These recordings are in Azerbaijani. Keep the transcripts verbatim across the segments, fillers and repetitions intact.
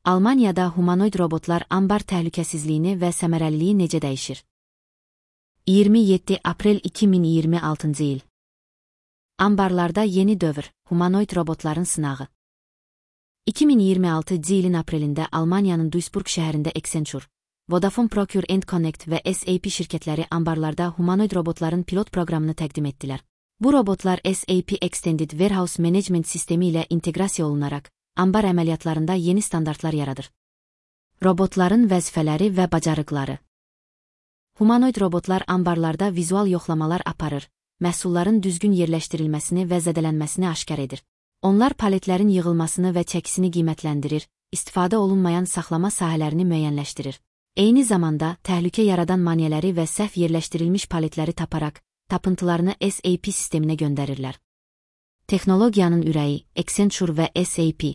Almaniyada humanoid robotlar ambar təhlükəsizliyini və səmərəliliyi necə dəyişir? iyirmi yeddi aprel iki min iyirmi altıncı il. Ambarlarda yeni dövr, humanoid robotların sınağı. iki min iyirmi altıncı ilin aprelində Almaniyanın Duisburg şəhərində Accenture, Vodafone Procure and Connect və S A P şirkətləri ambarlarda humanoid robotların pilot proqramını təqdim etdilər. Bu robotlar S A P Extended Warehouse Management sistemi ilə inteqrasiya olunaraq, ambar əməliyyatlarında yeni standartlar yaradır. Robotların vəzifələri və bacarıqları. Humanoid robotlar ambarlarda vizual yoxlamalar aparır, məhsulların düzgün yerləşdirilməsini və zədələnməsini aşkar edir. Onlar paletlərin yığılmasını və çəkisini qiymətləndirir, istifadə olunmayan saxlama sahələrini müəyyənləşdirir. Eyni zamanda, təhlükə yaradan maneələri və səhv yerləşdirilmiş paletləri taparaq, tapıntılarını S A P sisteminə göndərirlər. Texnologiyanın ürəyi, Accenture və S A P.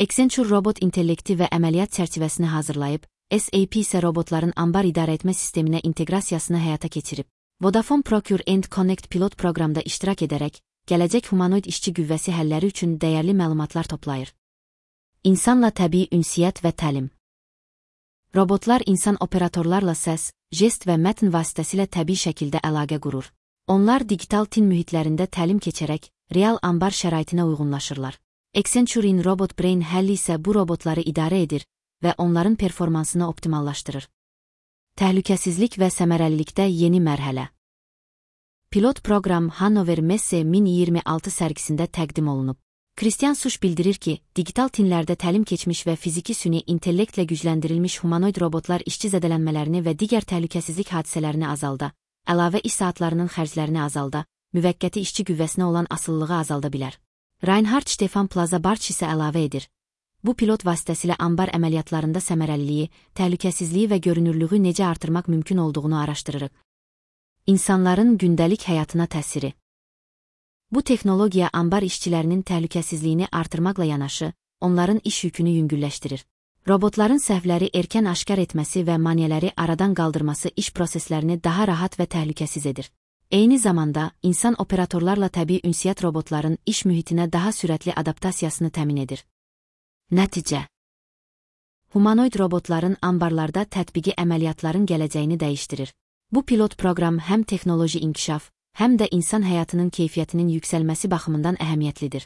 Accenture robot intellekti və əməliyyat çərçivəsini hazırlayıb, S A P isə robotların ambar idarə etmə sisteminə inteqrasiyasını həyata keçirib. Vodafone Procure and Connect pilot proqramda iştirak edərək, gələcək humanoid işçi qüvvəsi həlləri üçün dəyərli məlumatlar toplayır. İnsanla təbii ünsiyyət və təlim. Robotlar insan operatorlarla səs, jest və mətn vasitəsilə təbii şəkildə əlaqə qurur. Onlar digital tin mühitlərində təlim keçərək, real ambar şəraitinə uyğunlaşırlar. Accenture-in Robot Brain həlli isə bu robotları idarə edir və onların performansını optimallaşdırır. Təhlükəsizlik və səmərəlilikdə yeni mərhələ. Pilot proqram Hannover Messe min iyirmi altı sərgisində təqdim olunub. Christian Suş bildirir ki, digital tinlərdə təlim keçmiş və fiziki süni intellektlə gücləndirilmiş humanoid robotlar işçi zədələnmələrini və digər təhlükəsizlik hadisələrini azalda, əlavə iş saatlarının xərclərini azalda, müvəqqəti işçi qüvvəsinə olan asılılığı azalda bilər. Reinhard Stefan Plaza Barç isə əlavə edir. Bu pilot vasitəsilə ambar əməliyyatlarında səmərəliliyi, təhlükəsizliyi və görünürlüğü necə artırmaq mümkün olduğunu araşdırırıq. İnsanların gündəlik həyatına təsiri. Bu texnologiya ambar işçilərinin təhlükəsizliyini artırmaqla yanaşı, onların iş yükünü yüngülləşdirir. Robotların səhvləri erkən aşkar etməsi və maneələri aradan qaldırması iş proseslərini daha rahat və təhlükəsiz edir. Eyni zamanda, insan operatorlarla təbii ünsiyyət robotların iş mühitinə daha sürətli adaptasiyasını təmin edir. Nəticə. Humanoid robotların ambarlarda tətbiqi əməliyyatların gələcəyini dəyişdirir. Bu pilot proqram həm texnoloji inkişaf, həm də insan həyatının keyfiyyətinin yüksəlməsi baxımından əhəmiyyətlidir.